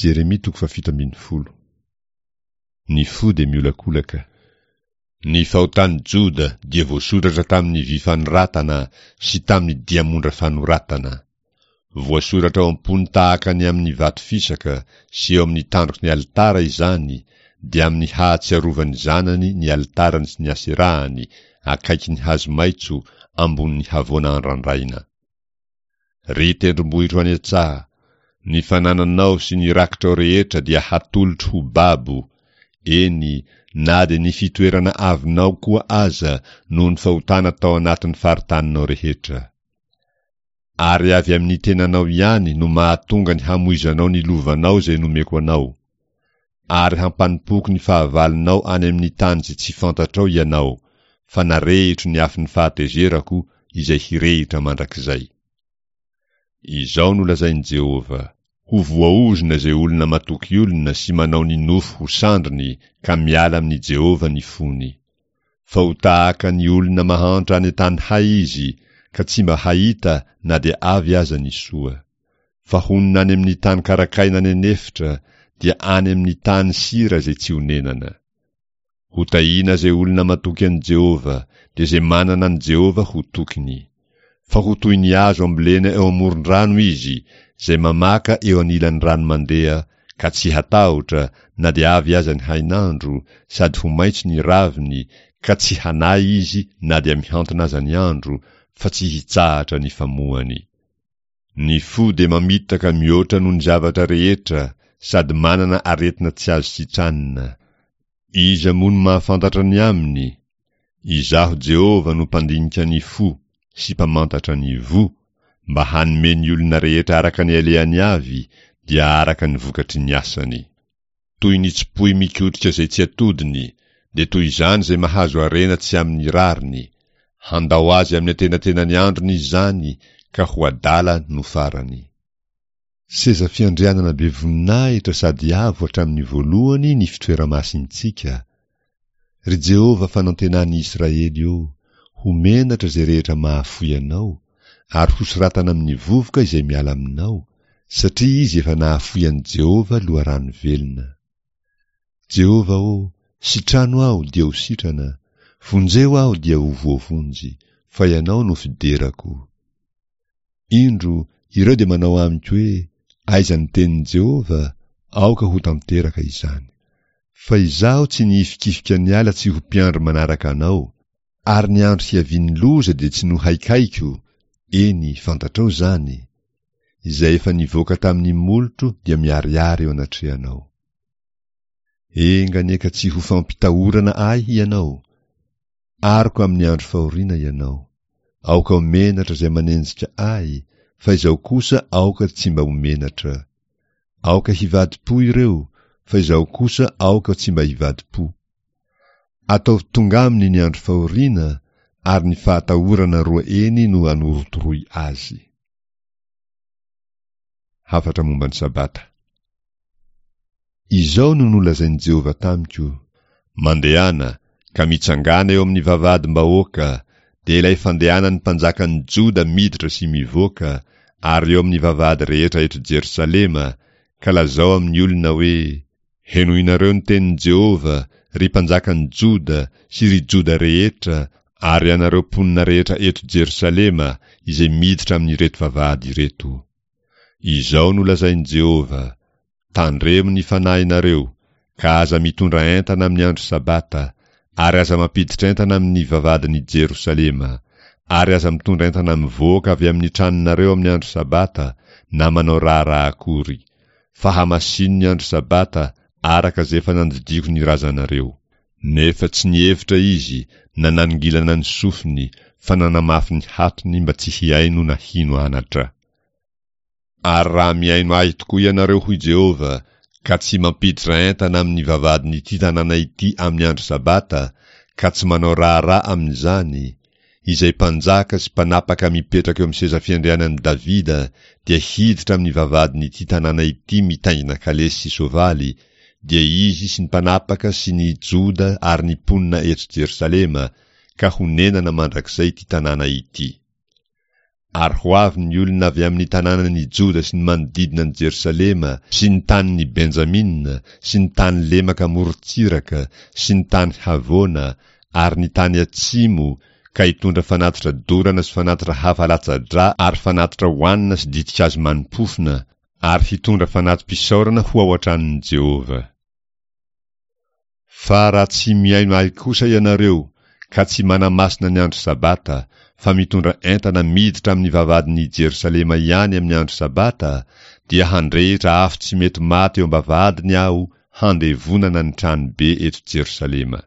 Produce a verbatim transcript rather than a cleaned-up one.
Jeremia toko fahafito ambin'ny folo. Ny fo dia miolakolaka. Ny fahotan'i Joda dia voasoratra tamin'ny vy fanoratana sy tamin'ny diamondra fanoratana. Voasoratra ao am-pony tahaka ny amin'ny vato fisaka sy eo amin'ny tandroky ny alitara izany, dia amin'ny hahatsiarovan'ny zanany ny alitarany sy ny aserahany, akaikin'ny hazo maitso, ambonin'ny havoana andrandraina. Ry tendrombohitro any an-tsaha, ny fanananao sy ny rakitrao rehetra dia hatolotro ho babo, eny, na dia ny fitoerana avinao koa aza noho ny fahotana tao anatin'ny faritaninao rehetra. Ary avy amin'ny tenanao ihany no mahatonga ny hamoizanao ny lovanao izay nomeko anao. Ary hampanompoako ny fahavalonao any amin'ny tany izay tsy fantatrao ianao, fa narehitro ny afon'ny fahatezerako izay hirehitra mandrakizay. Izao no lazain'i Jehovah, Ho voaozona izay olona matoky olona sy manao ny nofo ho sandriny ka miala amin'i Jehovah ny fony. Fa ho tahaka ny olona mahantra any an-tany hay izy, ka tsy mba hahita na dia avy aza ny soa. Fa honina any amin'ny tany karakaina any an'efitra, dia any amin'ny tany sira izay tsy onenana. Hotahiana izay olona matoky an'i Jehovah, dia izay manana an'i Jehovah ho tokiny. Fa ho toy ny hazo ambolena eo amoron-drano izy, izay mamaka eo anilan'ny rano mandeha, ka tsy hatahotra na dia avy aza ny hainandro, sady ho maitso ny raviny, ka tsy hanahy izy na dia mihantona aza ny andro, fa tsy hitsahatra ny famoany. Ny fo dia mamitaka mihoatra noho ny zavatra rehetra sady manana aretina tsy azo sitranina. Iza moa no mahafantatra ny aminy? Izaho Jehovah no mpandinika ny fo sy mpamantatra ny voa, mba hanome ny olona rehetra araka ny alehany avy, dia araka ny vokatry ny asany. Toy ny tsipoy mikotrika izay tsy atodiny, dia toy izany izay mahazo harena tsy amin'ny rariny. Handao azy amin'ny antenatenany androny izany, ka ho adala no farany. Seza fiandrianana be voninahitra sady avo hatramin'ny voalohany ny fitoera-masintsika. Ry Jehovah fanantenan'ny Israely ô, ho menatra izay rehetra mahafoy anao, ary hosoratana amin'ny vovoka izay miala aminao, satria izy efa nahafoy an'i Jehovah loharano velona. Jehovah ô, sitrano aho dia ho sitrana, vonjeo aho dia ho voavonjy, fa Ianao no fiderako. Indro, ireo dia manao amiko hoe, Aiza ny tenin'i Jehovah? Aoka ho tanteraka izany. Fa izaho tsy nihifikifika niala tsy ho mpiandry manaraka anao, ary ny andro hiavian'ny loza dia tsy nohaikaiko, eny, fantatrao izany. Izay efa nivoaka tamin'ny molotro dia miharihary eo anatrehanao. Enga anie ka tsy ho fampitahorana ahy ianao. Aroko amin'ny andro fahoriana ianao. Aoka ho menatra izay manenjika ahy, fa izaho kosa aoka tsy mba ho menatra. Aoka hivadi-po ireo, fa izaho kosa aoka tsy mba hivadi-po. Ataovy tonga aminy ny andro fahoriana, ary ny fahatahorana roa eny no anorotoroy azy. Hafatra momba ny Sabata. Izao no nolazain'i Jehovah tamiko, Mandehana, ka mitsangàna eo amin'ny vavahadim-bahoaka, dia ilay fandehanan'ny mpanjakan'ny Joda miditra sy mivoaka, ary eo amin'ny vavahady rehetra eto Jerosalema, ka lazao amin'ny olona hoe, Henoinareo ny tenin'i Jehovah, ry mpanjakan'ny Joda sy ry Joda rehetra ary ianareo mponina rehetra eto Jerosalema izay miditra amin'ireto vavahady ireto. Izao no lazain'i Jehovah, Tandremo ny fanahinareo, ka aza mitondra entana amin'ny andro Sabata, ary aza mampiditra entana amin'ny vavahadin'i Jerosalema, ary aza mitondra entana mivoaka avy amin'ny tranonareo amin'ny andro Sabata, na manao raharaha akory. Fa hamasino ny andro Sabata, araka izay efa nandidiako ny razanareo. Nefa tsy nihevitra izy, na nanongilana ny sofiny, fa nanamafy ny hatony mba tsy hihaino na hino anatra. Ary raha mihaino Ahy tokoa ianareo, hoy Jehovah, ka tsy mampiditra entana amin'ny vavahadin'ity tanàna ity amin'ny andro Sabata, ka tsy manao raharaha amin'izany, izay mpanjaka sy mpanapaka mipetraka eo amin'ny seza fiandrianan'i Davida dia hiditra amin'ny vavahadin'ity tanàna ity mitaingina kalesy sy soavaly, dia izy sy ny mpanapaka sy ny Joda ary ny mponina eto Jerosalema, ka honenana mandrakizay ity tanàna ity. Ary ho avy ny olona avy amin'ny tanànan'i Joda sy ny manodidina an'i Jerosalema sy ny tanin'i Benjamina sy ny tany lemaka morontsiraka sy ny tany havoana ary ny tany atsimo ka hitondra fanatitra dorana sy fanatitra hafa latsa-drà ary fanatitra hohanina sy ditin-kazo mani-pofona ary hitondra fanati-pisaorana ho ao an-tranon'i Jehovah. Fa raha tsy mihaino ahy kosa ianareo, ka tsy manamasina ny andro Sabata, fa mitondra entana miditra amin'ny vavahadin'i Jerosalema ihany amin'ny andro Sabata, dia handrehitra afo tsy mety maty eo am-bavahadiny aho handevonana ny tranobe eto Jerosalema.